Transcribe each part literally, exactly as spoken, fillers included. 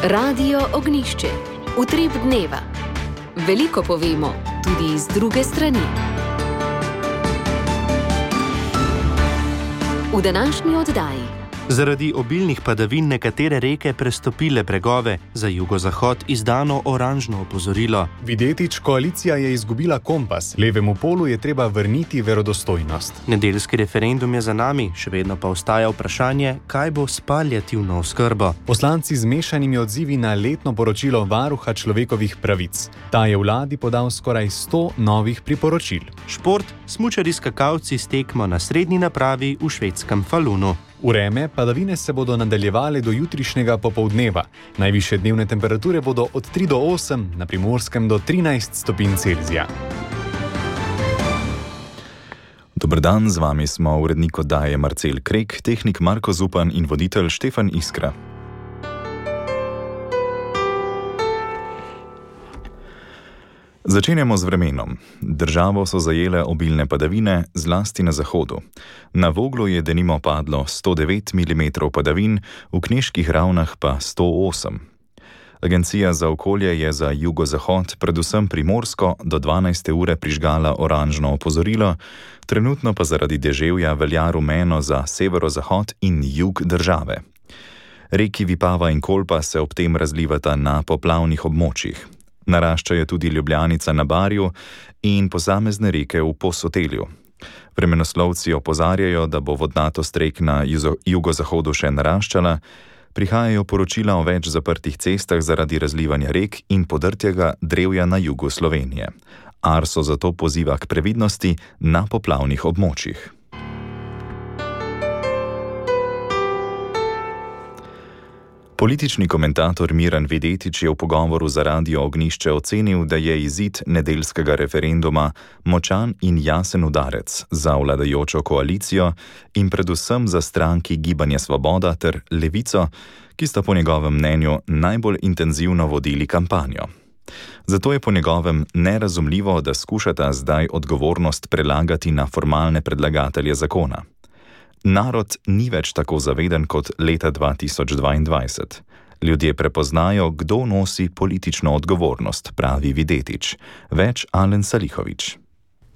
Radio Ognišče, utrip dneva. Veliko povemo, tudi iz druge strani. V današnji oddaji. Zaradi obilnih padavin nekatere reke prestopile bregove, za jugozahod izdano oranžno opozorilo. Videtič, koalicija je izgubila kompas, levemu polu je treba vrniti verodostojnost. Nedeljski referendum je za nami, še vedno pa ostaja vprašanje, kaj bo s paliativno oskrbo. Poslanci z mešanimi odzivi na letno poročilo Varuha človekovih pravic. Ta je vladi podal skoraj sto novih priporočil. Šport, smučarji skakalci s tekmo na srednji napravi v švedskem Falunu. Vreme, padavine se bodo nadaljevale do jutrišnjega popoldneva. Najvišje dnevne temperature bodo od tri do osem, na Primorskem do trinajst stopinj Celzija. Dober dan, z vami smo urednik oddaje Marcel Krek, tehnik Marko Zupan in voditelj Štefan Iskra. Začenjamo z vremenom. Državo so zajele obilne padavine, zlasti na zahodu. Na Voglu je denimo padlo sto devet milimetrov padavin, v Knežkih Ravnah pa sto osem. Agencija za okolje je za jugozahod, predvsem Primorsko, do dvanajste ure prižgala oranžno opozorilo, trenutno pa zaradi deževja velja rumeno za severozahod in jug države. Reki Vipava in Kolpa se ob tem razlivata na poplavnih območjih. Narašča je tudi Ljubljanica na Barju in posamezne reke v Posotelju. Vremenoslovci opozarjajo, da bo vodnatost rek na jugozahodu še naraščala, prihajajo poročila o več zaprtih cestah zaradi razlivanja rek in podrtjega drevja na jugu Slovenije. Arso zato poziva k previdnosti na poplavnih območjih. Politični komentator Miran Videtič je v pogovoru za Radio Ognišče ocenil, da je izid nedeljskega referenduma močan in jasen udarec za vladajočo koalicijo in predvsem za stranki Gibanje Svoboda ter Levico, ki sta po njegovem mnenju najbolj intenzivno vodili kampanjo. Zato je po njegovem nerazumljivo, da skušata zdaj odgovornost prelagati na formalne predlagatelje zakona. Narod ni več tako zaveden kot leta dva tisoč dvaindvajset. Ljudje prepoznajo, kdo nosi politično odgovornost, pravi Videtič. Več Alen Salihovič.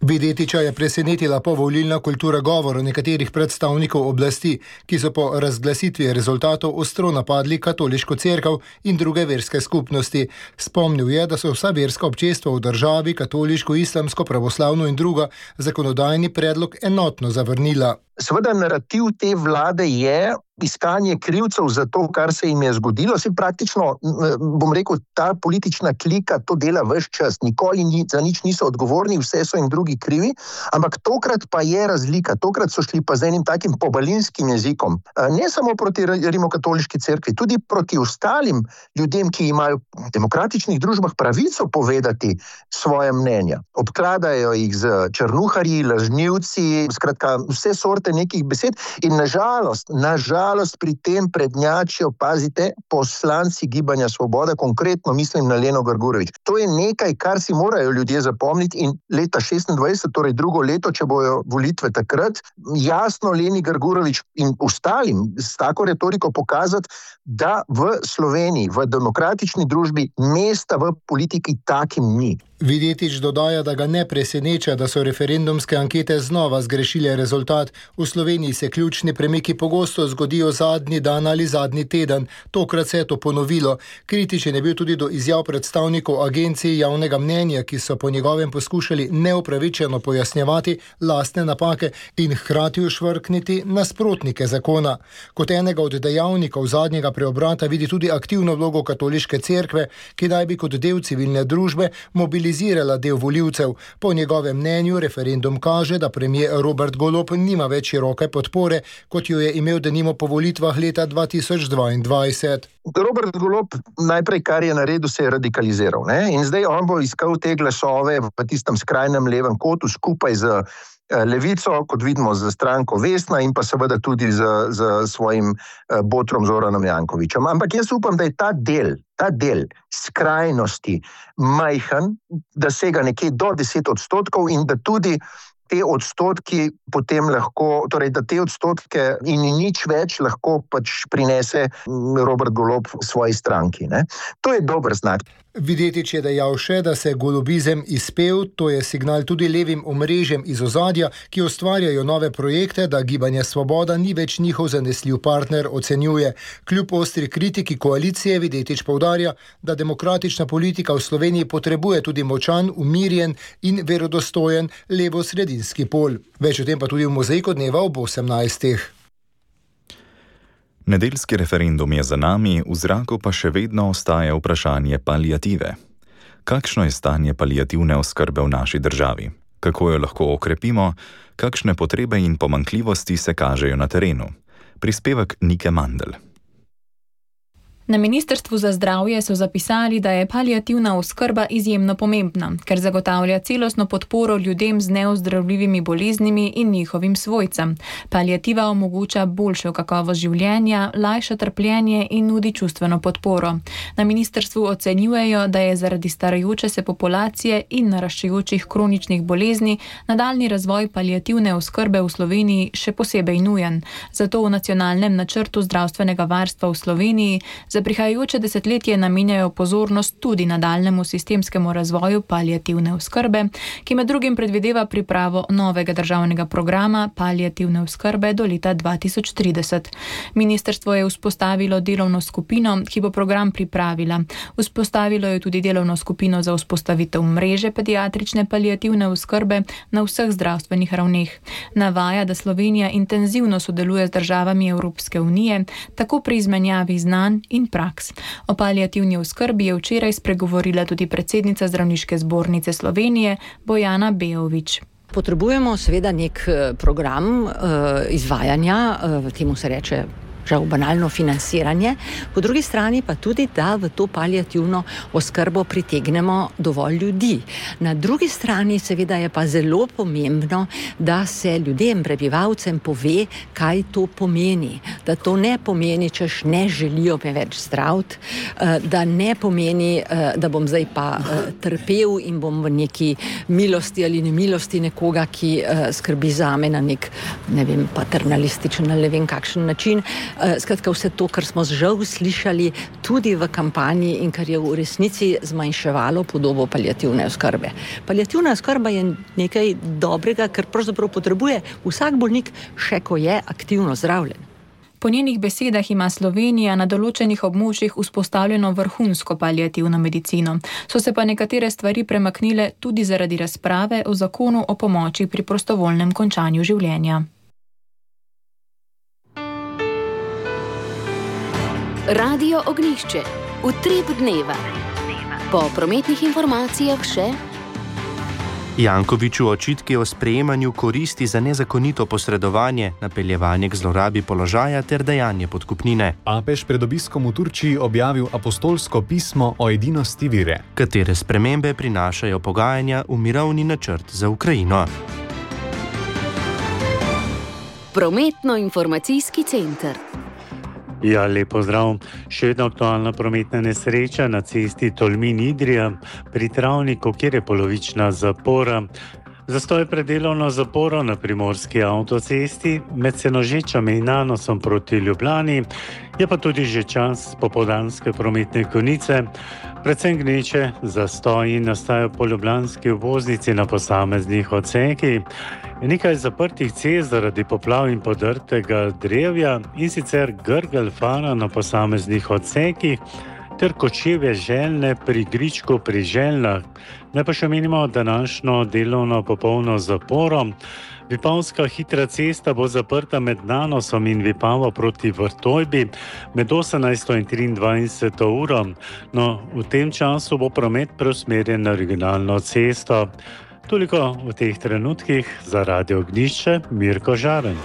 Videtiča je presenetila povolilna kultura govora nekaterih predstavnikov oblasti, ki so po razglasitvi rezultatov ostro napadli katoliško cerkev in druge verske skupnosti. Spomnil je, da so vsa verska občestva v državi, katoliško, islamsko, pravoslavno in druga, zakonodajni predlog enotno zavrnila. Seveda narativ te vlade je iskanje krivcev za to, kar se jim je zgodilo. Se praktično, bom rekel, ta politična klika to dela ves čas. Nikoli ni, za nič niso odgovorni, vse so jim drugi krivi, ampak tokrat pa je razlika. Tokrat so šli pa z enim takim pobalinskim jezikom. Ne samo proti rimokatoliški cerkvi, tudi proti ostalim ljudem, ki imajo v demokratičnih družbah pravico povedati svoje mnenja. Obkladajo jih z črnuharji, lažnivci, skratka vse sorte nekih besed in nažalost, nažalost pri tem prednjačijo, pazite, poslanci Gibanja Svoboda, konkretno mislim na Leno Grgurevič. To je nekaj, kar si morajo ljudje zapomniti in leta šestindvajset, torej drugo leto, če bojo volitve takrat, jasno Leni Grgurevič in ostalim s tako retoriko pokazati, da v Sloveniji, v demokratični družbi mesta v politiki takim ni. Videtič dodaja, da ga ne preseneča, da so referendumske ankete znova zgrešile rezultat. V Sloveniji se ključni premiki pogosto zgodijo zadnji dan ali zadnji teden. Tokrat se je to ponovilo. Kritičen je bil tudi do izjav predstavnikov agencij javnega mnenja, ki so po njegovem poskušali neupravičeno pojasnjevati lastne napake in hkrati ušvrkniti nasprotnike zakona. Kot enega od dejavnikov zadnjega preobrata vidi tudi aktivno vlogo katoliške cerkve, ki naj bi kot del civilne družbe mobilizirala del volivcev. Po njegovem mnenju referendum kaže, da premier Robert Golob nima več široke podpore, kot jo je imel denimo po volitvah leta dva tisoč dvaindvajset. Robert Golob najprej, kar je naredil, se je radikaliziral, ne? In zdaj on bo iskal te glasove v tistem skrajnem levem kotu skupaj z Levico, kot vidimo z stranko Vesna in pa seveda tudi z, z svojim botrom Zoranom Jankovićem. Ampak jaz upam, da je ta del, ta del skrajnosti majhen, da sega nekje do deset odstotkov in da tudi te odstotki potem lahko, torej da te odstotke in nič več lahko pač prinese Robert Golob svoji stranki. Ne? To je dober znak. Videtič je dejal še, da se golobizem izpel, to je signal tudi levim omrežjem iz ozadja, ki ustvarjajo nove projekte, da Gibanje Svoboda ni več njihov zanesljiv partner, ocenjuje. Kljub ostri kritiki koalicije Videtič poudarja, da demokratična politika v Sloveniji potrebuje tudi močan, umirjen in verodostojen levo-sredinski pol. Več o tem pa tudi v Mozaiku dneva ob osemnajstih. Nedeljski referendum je za nami, v zraku pa še vedno ostaja vprašanje paliative. Kakšno je stanje paliativne oskrbe v naši državi? Kako jo lahko okrepimo? Kakšne potrebe in pomanjkljivosti se kažejo na terenu? Prispevek Nike Mandl. Na Ministrstvu za zdravje so zapisali, da je paliativna oskrba izjemno pomembna, ker zagotavlja celostno podporo ljudem z neozdravljivimi boleznimi in njihovim svojcem. Paliativa omogoča boljšo kakovost življenja, lajša trpljenje in nudi čustveno podporo. Na ministrstvu ocenjujejo, da je zaradi starajoče se populacije in naraščajočih kroničnih bolezni nadaljnji razvoj paliativne oskrbe v Sloveniji še posebej nujen. Zato v nacionalnem načrtu zdravstvenega varstva v Sloveniji za prihajajoče desetletje namenjajo pozornost tudi nadaljnemu sistemskemu razvoju paliativne oskrbe, ki med drugim predvideva pripravo novega državnega programa paliativne oskrbe do leta dva tisoč trideset. Ministrstvo je vzpostavilo delovno skupino, ki bo program pripravila. Vzpostavilo je tudi delovno skupino za vzpostavitev mreže pediatrične paliativne oskrbe na vseh zdravstvenih ravneh. Navaja, da Slovenija intenzivno sodeluje z državami Evropske unije, tako pri izmenjavi znanj in praks. O paliativni oskrbi je včeraj spregovorila tudi predsednica Zdravniške zbornice Slovenije Bojana Bejović. Potrebujemo seveda nek program uh, izvajanja, uh, temu se reče žal banalno financiranje, po drugi strani pa tudi, da v to paliativno oskrbo pritegnemo dovolj ljudi. Na drugi strani seveda je pa zelo pomembno, da se ljudem, prebivalcem pove, kaj to pomeni. Da to ne pomeni, češ ne želijo me več zdraviti, da ne pomeni, da bom zdaj pa trpel in bom v neki milosti ali nemilosti nekoga, ki skrbi zame na nek, ne vem, paternalističen ali ne vem kakšen način. Skratka, vse to, kar smo žal slišali tudi v kampanji in kar je v resnici zmanjševalo podobo paliativne oskrbe. Paliativna oskrba je nekaj dobrega, kar pravzaprav potrebuje vsak bolnik, še ko je aktivno zdravljen. Po njenih besedah ima Slovenija na določenih območjih vzpostavljeno vrhunsko paliativno medicino. So se pa nekatere stvari premaknile tudi zaradi razprave o zakonu o pomoči pri prostovoljnem končanju življenja. Radio Ognjišče. Utrip dneva. Po prometnih informacijah še Jankoviću očitki o sprejemanju koristi za nezakonito posredovanje, napeljevanje k zlorabi položaja ter dajanje podkupnine. Papež pred obiskom v Turčiji objavil apostolsko pismo o edinosti vere, katere spremembe prinašajo pogajanja v mirovni načrt za Ukrajino. Prometno-informacijski center. Ja, lep pozdrav. Še vedno aktualna prometna nesreča na cesti Tolmin-Idrija pri Travniku, kjer je polovična zapora. Zastoj pred delovno zaporo na primorski avtocesti med Senožečami in Nanosom proti Ljubljani, je pa tudi že čas popoldanske prometne konice. Predvsem gneče zastoji nastajajo po ljubljanski obvoznici na posameznih odsekih. Nekaj zaprtih cest zaradi poplav in podrtega drevja in sicer Grgelj Fara na posameznih odsekih ter Kočevje Željne pri Gričku pri Željnah. Naj pa še menimo današnjo delovno popolno zaporo. Vipavska hitra cesta bo zaprta med Nanosom in Vipavo proti Vrtojbi med osemnajsto in triindvajseto uro. No, v tem času bo promet preusmerjen na regionalno cesto. Toliko v teh trenutkih za Radio Ognjišče, Mirko Žaren.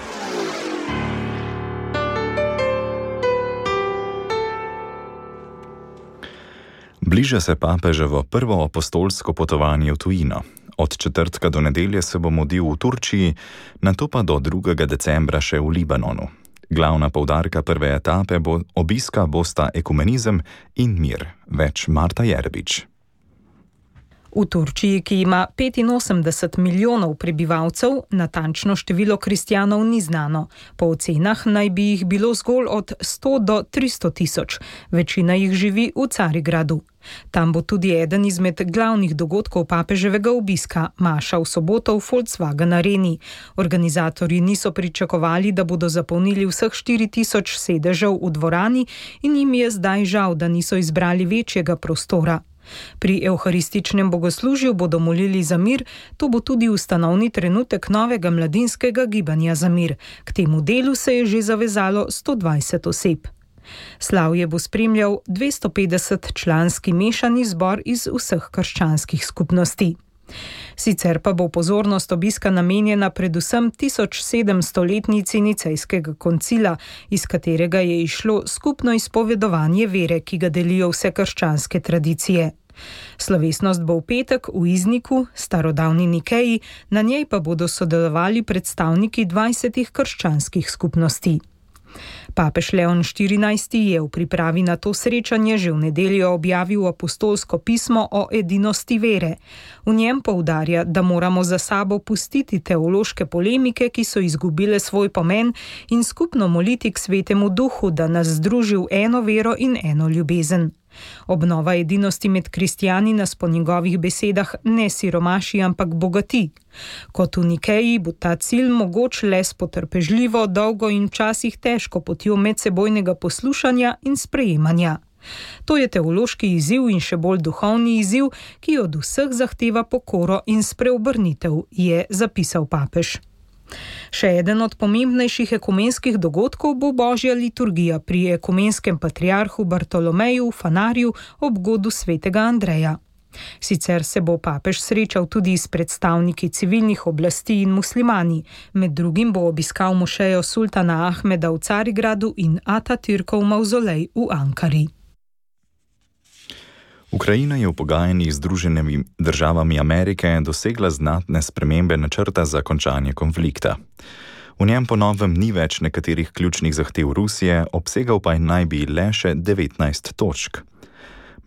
Bliža se papeževo prvo apostolsko potovanje v tujino. Od četrtka do nedelje se bo mudil v Turčiji, nato pa do drugega decembra še v Libanonu. Glavna poudarka prve etape bo obiska bosta ekumenizem in mir. Več Marta Jerbič. V Turčiji, ki ima petinosemdeset milijonov prebivalcev, natančno število kristjanov ni znano. Po ocenah naj bi jih bilo zgolj od sto do tristo tisoč. Večina jih živi v Carigradu. Tam bo tudi eden izmed glavnih dogodkov papeževega obiska, maša v soboto v Volkswagen Areni. Organizatorji niso pričakovali, da bodo zapolnili vseh štiri tisoč sedežev v dvorani in jim je zdaj žal, da niso izbrali večjega prostora. Pri evharističnem bogoslužju bodo molili za mir, to bo tudi ustanovni trenutek novega mladinskega gibanja za mir. K temu delu se je že zavezalo sto dvajset oseb. Slavje bo spremljal dvesto petdeset članski mešani zbor iz vseh krščanskih skupnosti. Sicer pa bo pozornost obiska namenjena predvsem tisoč sedemstoletnici Nicejskega koncila, iz katerega je išlo skupno izpovedovanje vere, ki ga delijo vse krščanske tradicije. Slovesnost bo v petek v Izniku, starodavni Nikeji, na njej pa bodo sodelovali predstavniki dvajsetih krščanskih skupnosti. Papež Leon štirinajsti je v pripravi na to srečanje že v nedeljo objavil apostolsko pismo o edinosti vere. V njem poudarja, da moramo za sabo pustiti teološke polemike, ki so izgubile svoj pomen, in skupno moliti k Svetemu Duhu, da nas združi v eno vero in eno ljubezen. Obnova edinosti med kristjani nas po njegovih besedah ne siromaši, ampak bogati. Kot v Nikeji bo ta cilj mogoč le s potrpežljivo, dolgo in včasih težko potjo medsebojnega poslušanja in sprejemanja. To je teološki izziv in še bolj duhovni izziv, ki od vseh zahteva pokoro in spreobrnitev, je zapisal papež. Še eden od pomembnejših ekumenskih dogodkov bo božja liturgija pri ekumenskem patriarhu Bartolomeju v Fanarju ob godu svetega Andreja. Sicer se bo papež srečal tudi s predstavniki civilnih oblasti in muslimani, med drugim bo obiskal mošejo sultana Ahmeda v Carigradu in Atatürkov mavzolej v Ankari. Ukrajina je v pogajanjih z Združenimi državami Amerike dosegla znatne spremembe načrta za končanje konflikta. V njem po novem ni več nekaterih ključnih zahtev Rusije, obsegal pa naj bi le še devetnajst točk.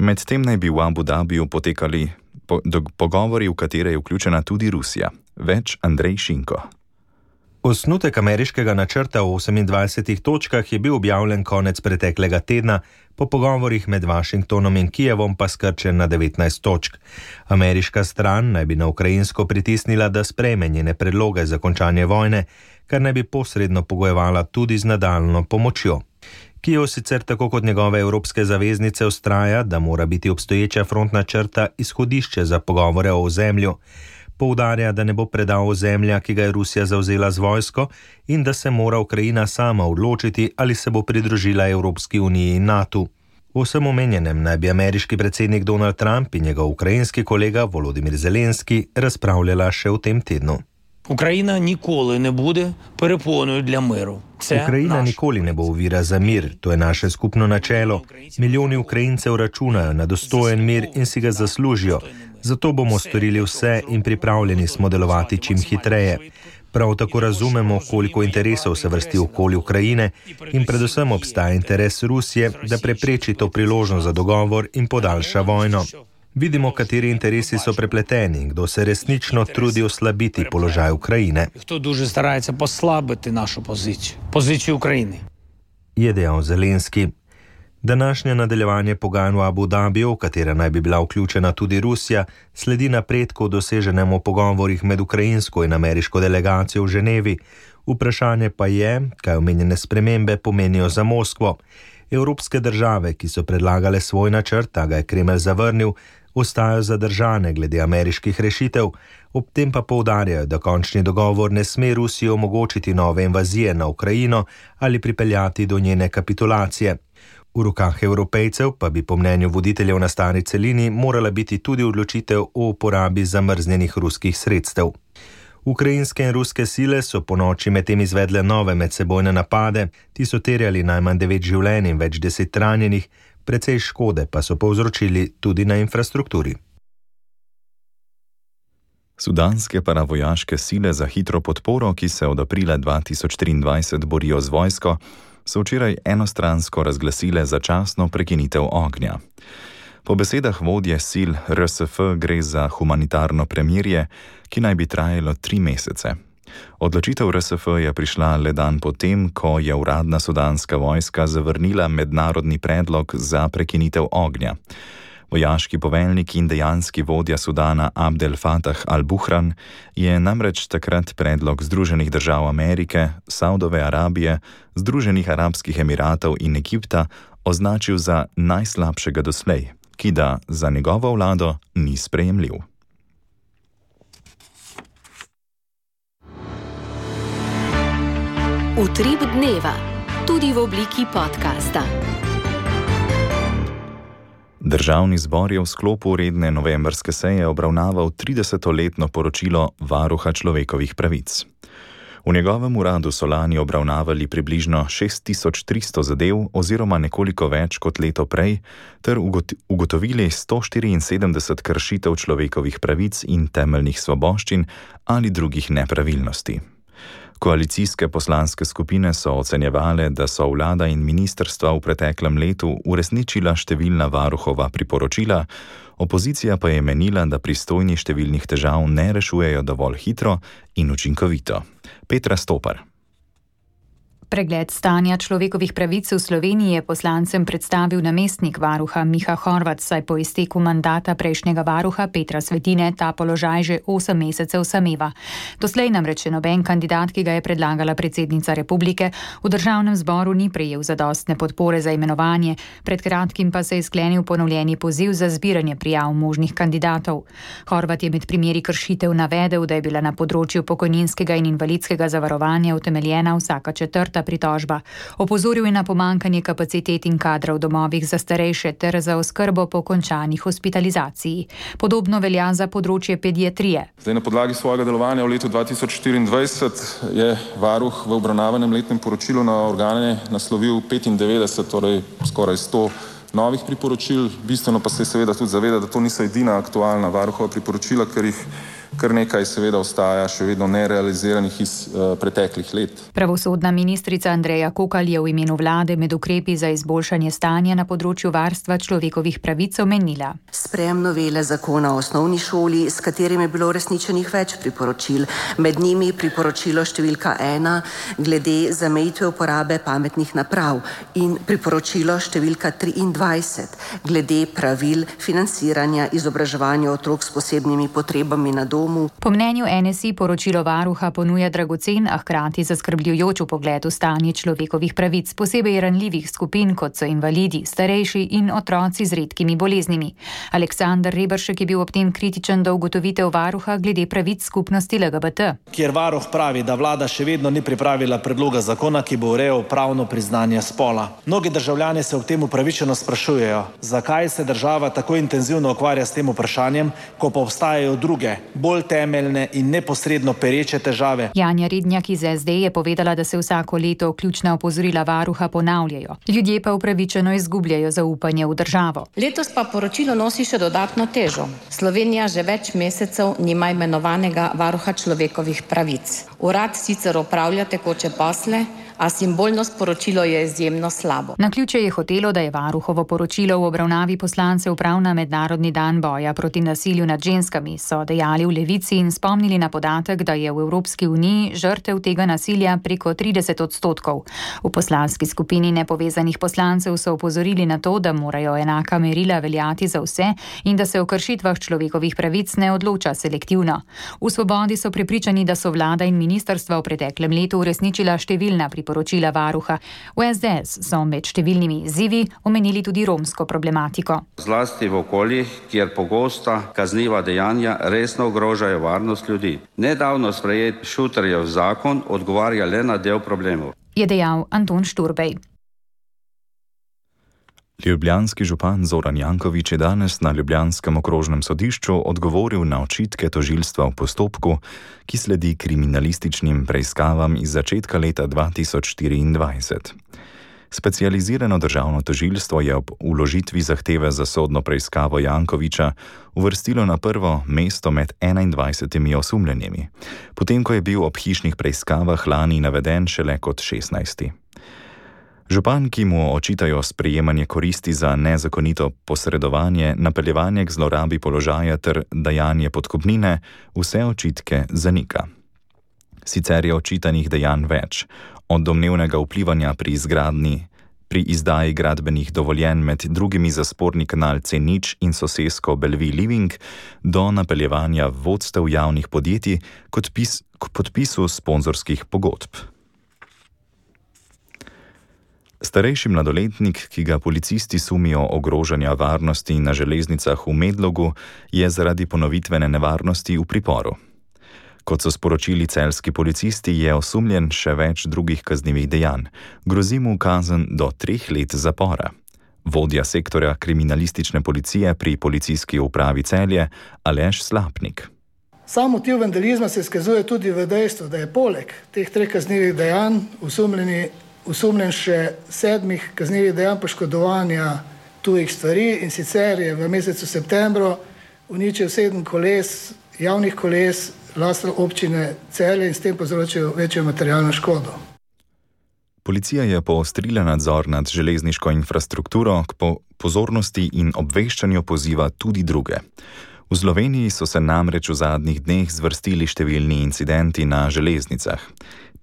Medtem naj bi v Abu Dhabiju potekali po, do, pogovori, v katere je vključena tudi Rusija. Več Andrej Šinko. Osnutek ameriškega načrta v osemindvajsetih točkah je bil objavljen konec preteklega tedna, po pogovorih med Washingtonom in Kijevom pa skrčen na devetnajst točk. Ameriška stran naj bi na ukrajinsko pritisnila, da sprejme njene predloge za končanje vojne, kar naj bi posredno pogojevala tudi z nadaljno pomočjo. Kijev sicer tako kot njegove evropske zaveznice vztraja, da mora biti obstoječa frontna črta izhodišče za pogovore o ozemlju. Poudarja, da ne bo predal ozemlja, ki ga je Rusija zavzela z vojsko, in da se mora Ukrajina sama odločiti, ali se bo pridružila Evropski uniji in NATO. V vsem omenjenem naj bi ameriški predsednik Donald Trump in njegov ukrajinski kolega Volodymyr Zelenski razpravljala še v tem tednu. Ukrajina nikoli ne bude perepоною для миру. Ukrajina nikoli ne bo ovira za mir, to je naše skupno načelo. Milijoni Ukrajincev računajo na dostojen mir in si ga zaslužijo. Zato bomo storili vse in pripravljeni smo delovati čim hitreje. Prav tako razumemo, koliko interesov se vrsti okoli Ukrajine in predvsem obstaja interes Rusije, da prepreči to priložnost za dogovor in podaljša vojno. Vidimo, kateri interesi so prepleteni, kdo se resnično trudi oslabiti položaj Ukrajine. Kdo дуже старається послабити нашу позицію, позицію України. Je dejal Zelenski. Današnje nadaljevanje pogajanj v Abu Dhabiju, v katera naj bi bila vključena tudi Rusija, sledi napredku doseženemu v pogovorih med ukrajinsko in ameriško delegacijo v Ženevi. Vprašanje pa je, kaj omenjene spremembe pomenijo za Moskvo. Evropske države, ki so predlagale svoj načrt, a ga je Kremelj zavrnil, ostajajo zadržane glede ameriških rešitev, ob tem pa poudarjajo, da končni dogovor ne sme Rusiji omogočiti nove invazije na Ukrajino ali pripeljati do njene kapitulacije. V rokah Evropejcev pa bi po mnenju voditeljev na stari celini morala biti tudi odločitev o uporabi zamrznjenih ruskih sredstev. Ukrajinske in ruske sile so po noči medtem izvedle nove medsebojne napade, ti so terjali najmanj devet življenj in več deset ranjenih, precej škode pa so povzročili tudi na infrastrukturi. Sudanske paravojaške sile za hitro podporo, ki se od aprila dva tisoč triindvajset borijo z vojsko, so včeraj enostransko razglasile začasno prekinitev ognja. Po besedah vodje sil R S F gre za humanitarno premirje, ki naj bi trajalo tri mesece. Odločitev R S F je prišla le dan potem, ko je uradna sudanska vojska zavrnila mednarodni predlog za prekinitev ognja. Vojaški poveljnik in dejanski vodja Sudana Abdel Fattah al-Buhran je namreč takrat predlog Združenih držav Amerike, Saudove Arabije, Združenih arabskih emiratov in Egipta označil za najslabšega doslej, ki da za njegovo vlado ni sprejemljiv. Utrip dneva, tudi v obliki podcasta. Državni zbor je v sklopu redne novembrske seje obravnaval tridesetoletno poročilo Varuha človekovih pravic. V njegovem uradu so lani obravnavali približno šest tisoč tristo zadev oziroma nekoliko več kot leto prej, ter ugotovili sto štiriinsedemdeset kršitev človekovih pravic in temeljnih svoboščin ali drugih nepravilnosti. Koalicijske poslanske skupine so ocenjevale, da so vlada in ministrstva v preteklem letu uresničila številna varuhova priporočila, opozicija pa je menila, da pristojni številnih težav ne rešujejo dovolj hitro in učinkovito. Petra Stopar. Pregled stanja človekovih pravic v Sloveniji je poslancem predstavil namestnik varuha Miha Horvat, saj po izteku mandata prejšnjega varuha Petra Svetine ta položaj že osem mesecev sameva. Doslej namreč noben kandidat, ki ga je predlagala predsednica republike, v državnem zboru ni prejel zadostne podpore za imenovanje, pred kratkim pa se je sklenil ponovljeni poziv za zbiranje prijav možnih kandidatov. Horvat je med primeri kršitev navedel, da je bila na področju pokojninskega in invalidskega zavarovanja utemeljena vsaka četrta pritožba. Opozoril je na pomankanje kapacitet in kadra v domovih za starejše ter za oskrbo po končani hospitalizaciji. Podobno velja za področje pediatrije. Zdaj, na podlagi svojega delovanja v letu dva tisoč štiriindvajset je varuh v obravnavanem letnem poročilu na organe naslovil petindevetdeset, torej skoraj sto novih priporočil. Bistveno pa se je seveda tudi zaveda, da to niso edina aktualna varuhova priporočila, ker jih kar nekaj seveda ostaja še vedno nerealiziranih iz uh, preteklih let. Pravosodna ministrica Andreja Kokalj je v imenu vlade med ukrepi za izboljšanje stanja na področju varstva človekovih pravic omenila. Sprejem novele zakona o osnovni šoli, s katerim je bilo uresničenih več priporočil, med njimi priporočilo številka ena glede zamejitve uporabe pametnih naprav in priporočilo številka triindvajset glede pravil financiranja izobraževanja otrok s posebnimi potrebami na domu. Po mnenju N S I poročilo varuha ponuja dragocen, a hkrati zaskrbljujoč vpogled v stanje človekovih pravic, posebej ranljivih skupin, kot so invalidi, starejši in otroci z redkimi boleznimi. Aleksander Reberšek je bil ob tem kritičen do ugotovitev varuha glede pravic skupnosti L G B T. Kjer varuh pravi, da vlada še vedno ni pripravila predloga zakona, ki bo urejal pravno priznanje spola. Mnogi državljani se ob tem upravičeno sprašujejo, zakaj se država tako intenzivno ukvarja s tem vprašanjem, ko pa obstajajo druge, bolj temeljne in neposredno pereče težave. Janja Rednjak iz S D je povedala, da se vsako leto ključna opozorila varuha ponavljajo. Ljudje pa upravičeno izgubljajo zaupanje v državo. Letos pa poročilo nosi še dodatno težo. Slovenija že več mesecev nima imenovanega varuha človekovih pravic. Urad sicer opravlja tekoče posle, a simbolno sporočilo je izjemno slabo. Naključje je hotelo, da je varuhovo poročilo v obravnavi poslancev prav na mednarodni dan boja proti nasilju nad ženskami, so dejali v Levici in spomnili na podatek, da je v Evropski uniji žrtev tega nasilja preko trideset odstotkov. V poslanski skupini nepovezanih poslancev so opozorili na to, da morajo enaka merila veljati za vse in da se o kršitvah človekovih pravic ne odloča selektivno. V Svobodi so prepričani, da so vlada in ministrstva v preteklem letu uresničila številna priporočila varuha. V S D S so med številnimi izzivi omenili tudi romsko problematiko. Zlasti v okoljih, kjer pogosta kazniva dejanja resno ogrožajo varnost ljudi. Nedavno sprejet Šuterjev zakon odgovarja le na del problemov, je dejal Anton Šturbej. Ljubljanski župan Zoran Janković je danes na ljubljanskem okrožnem sodišču odgovoril na očitke tožilstva v postopku, ki sledi kriminalističnim preiskavam iz začetka leta dva tisoč štiriindvajset. Specializirano državno tožilstvo je ob vložitvi zahteve za sodno preiskavo Jankovića uvrstilo na prvo mesto med enaindvajsetimi osumljenimi, potem ko je bil ob hišnih preiskavah lani naveden šele kot šestnajsti. Župan, ki mu očitajo sprejemanje koristi za nezakonito posredovanje, napeljevanje k zlorabi položaja ter dajanje podkupnine, vse očitke zanika. Sicer je očitanih dejanj več, od domnevnega vplivanja pri izgradnji, pri izdaji gradbenih dovoljenj med drugimi za sporni kanal C nič in sosesko Bellevue Living do napeljevanja vodstev javnih podjetij kot pis, k podpisu sponzorskih pogodb. Starejši mladoletnik, ki ga policisti sumijo ogrožanja varnosti na železnicah v Medlogu, je zaradi ponovitvene nevarnosti v priporu. Kot so sporočili celjski policisti, je osumljen še več drugih kaznivih dejanj. Grozi mu kazen do treh let zapora. Vodja sektorja kriminalistične policije pri policijski upravi Celje Aleš Slapnik. Sam motiv vandalizma se izkazuje tudi v dejstvu, da je poleg teh treh kaznivih dejanj osumljeni osumljen še sedmih kaznivih dejanj poškodovanja tujih stvari, in sicer je v mesecu septembru uničil sedem koles, javnih koles lastne občine Celje in s tem povzročil večjo materialno škodo. Policija je poostrila nadzor nad železniško infrastrukturo, k po pozornosti in obveščanju poziva tudi druge. V Sloveniji so se namreč v zadnjih dneh zvrstili številni incidenti na železnicah.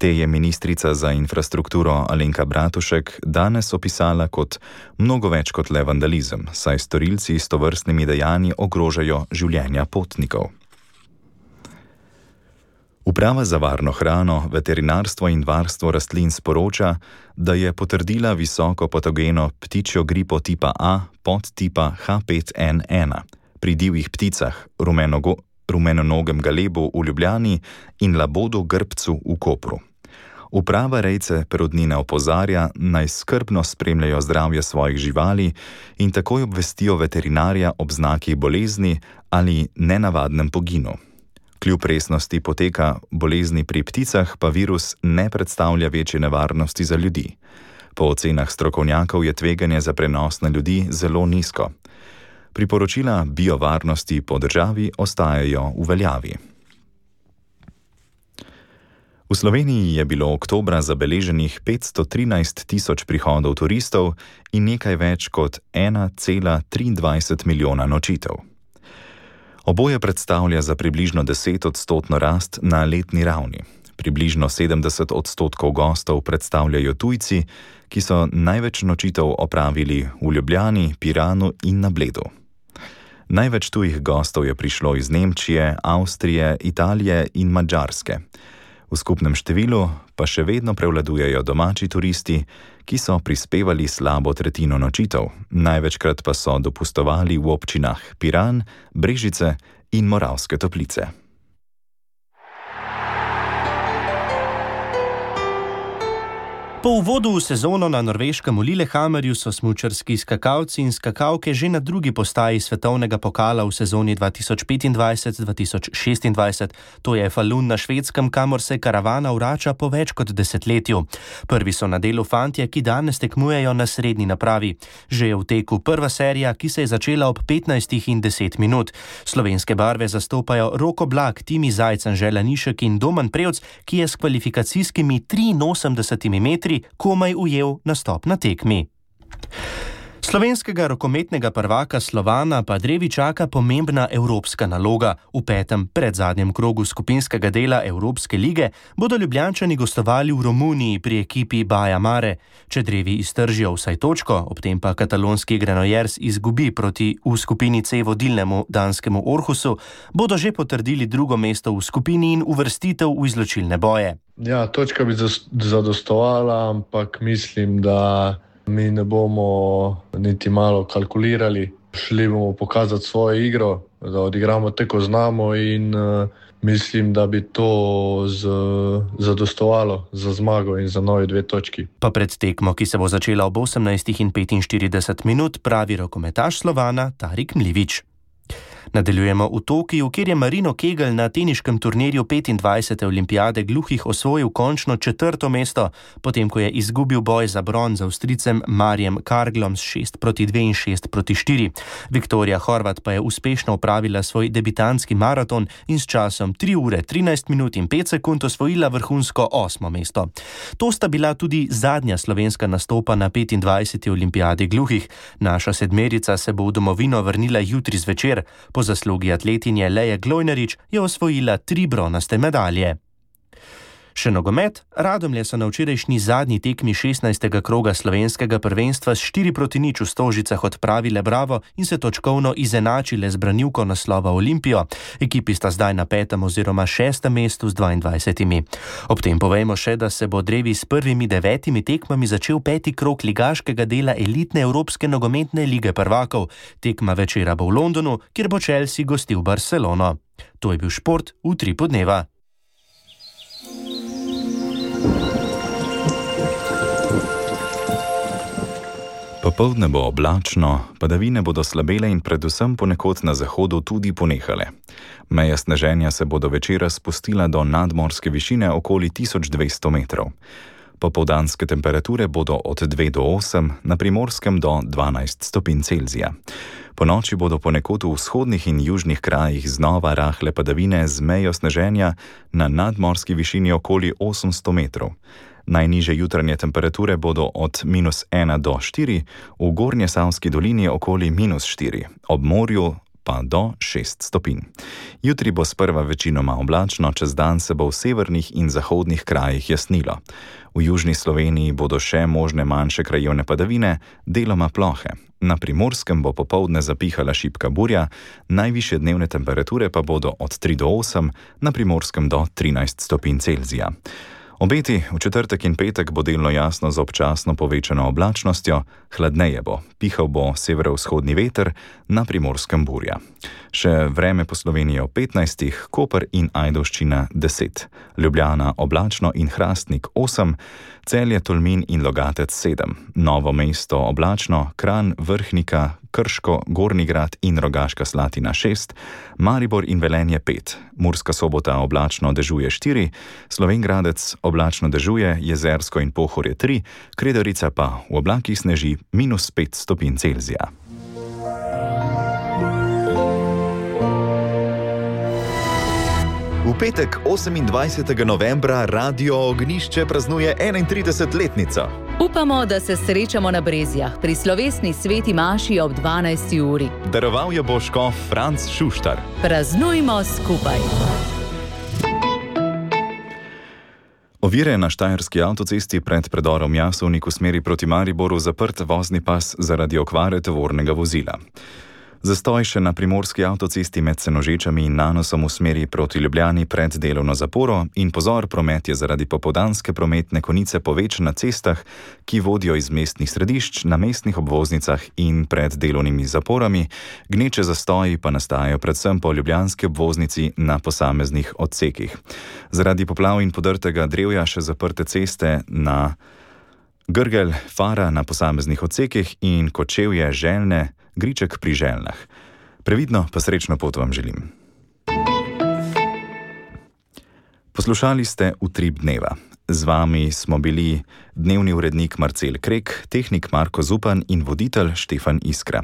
Te je ministrica za infrastrukturo Alenka Bratušek danes opisala kot mnogo več kot le vandalizem, saj storilci s tovrstnimi dejanji ogrožajo življenja potnikov. Uprava za varno hrano, veterinarstvo in varstvo rastlin sporoča, da je potrdila visoko patogeno ptičjo gripo tipa A podtipa H pet N ena pri divjih pticah, rumenogo, rumenonogem galebu v Ljubljani in labodu grbcu v Kopru. Uprava rejce perodnine opozarja, naj skrbno spremljajo zdravje svojih živali in takoj obvestijo veterinarja ob znakih bolezni ali nenavadnem poginu. Kljub resnosti poteka bolezni pri pticah pa virus ne predstavlja večje nevarnosti za ljudi. Po ocenah strokovnjakov je tveganje za prenos na ljudi zelo nizko. Priporočila biovarnosti po državi ostajajo v veljavi. V Sloveniji je bilo oktobra zabeleženih petsto trinajst tisoč prihodov turistov in nekaj več kot ena cela triindvajset milijona nočitev. Oboje predstavlja za približno deset odstotno rast na letni ravni. Približno sedemdeset odstotkov gostov predstavljajo tujci, ki so največ nočitev opravili v Ljubljani, Piranu in na Bledu. Največ tujih gostov je prišlo iz Nemčije, Avstrije, Italije in Madžarske. V skupnem številu pa še vedno prevladujejo domači turisti, ki so prispevali slabo tretjino nočitev, največkrat pa so dopustovali v občinah Piran, Brežice in Moravske Toplice. Po uvodu v sezono na norveškem v Lillehammerju so smučarski skakalci in skakalke že na drugi postaji svetovnega pokala v sezoni dva tisoč petindvajset dva tisoč šestindvajset. To je Falun na Švedskem, kamor se karavana vrača po več kot desetletju. Prvi so na delu fantje, ki danes tekmujejo na srednji napravi. Že je v teku prva serija, ki se je začela ob petnajstih in deset minut. Slovenske barve zastopajo Roko Blak, Timi Zajc, Anžela Nišek in Domen Prevc, ki je s kvalifikacijskimi triinosemdesetimi metri komaj ujel nastop na tekmi. Slovenskega rokometnega prvaka Slovana pa drevi čaka pomembna evropska naloga. V petem predzadnjem krogu skupinskega dela Evropske lige bodo Ljubljančani gostovali v Romuniji pri ekipi Baja Mare. Če drevi iztržijo vsaj točko, ob tem pa katalonski Granollers izgubi proti v skupini C vodilnemu danskemu Orhusu, bodo že potrdili drugo mesto v skupini in uvrstitev v izločilne boje. Ja, točka bi zadostovala, ampak mislim, da mi ne bomo niti malo kalkulirali. Šli bomo pokazati svojo igro, da odigramo tako znamo in uh, mislim, da bi to z, zadostovalo za zmago in za novi dve točki. Pa pred tekmo, ki se bo začela ob osemnajstih in petinštirideset minut, pravi rokometaš Slovana Tarik Mlivič. Nadaljujemo v Tokiu, kjer je Marino Kegel na teniškem turnirju petindvajsete olimpijade gluhih osvojil končno četrto mesto, potem ko je izgubil boj za bron z Avstrijcem Marijem Karglom s šest proti dve in šest proti štiri. Viktorija Horvat pa je uspešno opravila svoj debitantski maraton in s časom tri ure trinajst minut in pet sekund osvojila vrhunsko osmo mesto. To sta bila tudi zadnja slovenska nastopa na petindvajseti olimpijadi gluhih. Naša sedmerica se bo v domovino vrnila jutri zvečer. Po zaslugi atletinje Leje Glojnerič je osvojila tri bronaste medalje. Še nogomet. Radomlje so na včerajšnji zadnji tekmi šestnajstega kroga slovenskega prvenstva s štiri proti nič v Stožicah odpravile Bravo in se točkovno izenačile z branilko naslova Olimpijo. Ekipi sta zdaj na petem oziroma šestem mestu z dvaindvajsetimi. Ob tem povejmo še, da se bo drevi s prvimi devetimi tekmami začel peti krog ligaškega dela elitne Evropske nogometne lige prvakov. Tekma večera bo v Londonu, kjer bo Chelsea gostil Barcelono. To je bil šport v Utripu dneva. Popoldne bo oblačno, padavine bodo slabele in predvsem ponekod na zahodu tudi ponehale. Meja sneženja se bo do večera spustila do nadmorske višine okoli tisoč dvesto metrov. Popoldanske temperature bodo od dve do osem, na Primorskem do dvanajst stopinj Celzija. Po noči bodo ponekod v vzhodnih in južnih krajih znova rahle padavine z mejo sneženja na nadmorski višini okoli osemsto metrov. Najnižje jutranje temperature bodo od minus ena do štiri, v Gornjesavski dolini okoli minus štiri, ob morju pa do šest stopinj. Jutri bo sprva večinoma oblačno, čez dan se bo v severnih in zahodnih krajih jasnilo. V južni Sloveniji bodo še možne manjše krajevne padavine, deloma plohe. Na Primorskem bo popoldne zapihala šibka burja, najvišje dnevne temperature pa bodo od tri do osem, na Primorskem do trinajst stopinj Celzija. Obeti v četrtek in petek bo delno jasno z občasno povečano oblačnostjo, hladneje bo, pihal bo severovzhodni veter, na Primorskem burja. Še vreme po Sloveniji ob petnajstih, Koper in Ajdovščina deset, Ljubljana oblačno in Hrastnik osem, Celje, Tolmin in Logatec sedem, Novo mesto oblačno, Kranj, Vrhnika, Krško, Gornji Grad in Rogaška Slatina šest, Maribor in Velenje pet, Murska Sobota oblačno dežuje štiri, Slovenj Gradec oblačno dežuje, Jezersko in Pohorje tri, Kredarica pa v oblakih sneži minus pet stopinj Celzija. V petek osemindvajsetega novembra Radio Ognjišče praznuje enaintridesetletnico. Upamo, da se srečamo na Brezjah pri slovesni sveti maši ob dvanajsti uri. Daroval jo bo škof Franc Šuštar. Praznujmo skupaj. Ovire na štajerski avtocesti pred predorom Jasovnik v smeri proti Mariboru zaprt vozni pas zaradi okvare tovornega vozila. Zastoj še na primorski avtocesti med Senožečami in Nanosom v smeri proti Ljubljani pred delovno zaporo in pozor, promet je zaradi popoldanske prometne konice povečan na cestah, ki vodijo iz mestnih središč, na mestnih obvoznicah in pred delovnimi zaporami, gneče zastoji pa nastajajo predvsem po ljubljanski obvoznici na posameznih odsekih. Zaradi poplav in podrtega drevja še zaprte ceste na Grgelj, Fara na posameznih odsekih in Kočevje, Željne, Griček pri Željnah. Previdno pa srečno pot vam želim. Poslušali ste Utrip dneva. Z vami smo bili dnevni urednik Marcel Krek, tehnik Marko Zupan in voditelj Štefan Iskra.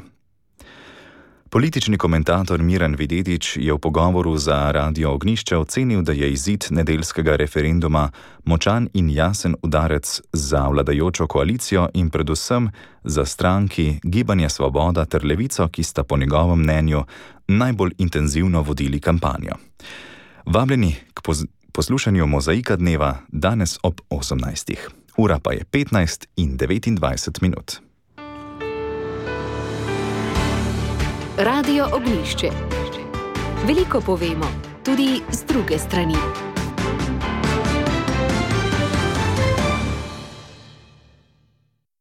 Politični komentator Miran Videtič je v pogovoru za Radio Ognjišče ocenil, da je izid nedeljskega referenduma močan in jasen udarec za vladajočo koalicijo in predvsem za stranki Gibanje Svoboda ter Levico, ki sta po njegovem mnenju najbolj intenzivno vodili kampanjo. Vabljeni k poslušanju Mozaika dneva danes ob osemnajstih. Ura pa je petnajst in devetindvajset minut. Radio Ognjišče. Veliko povemo, tudi z druge strani.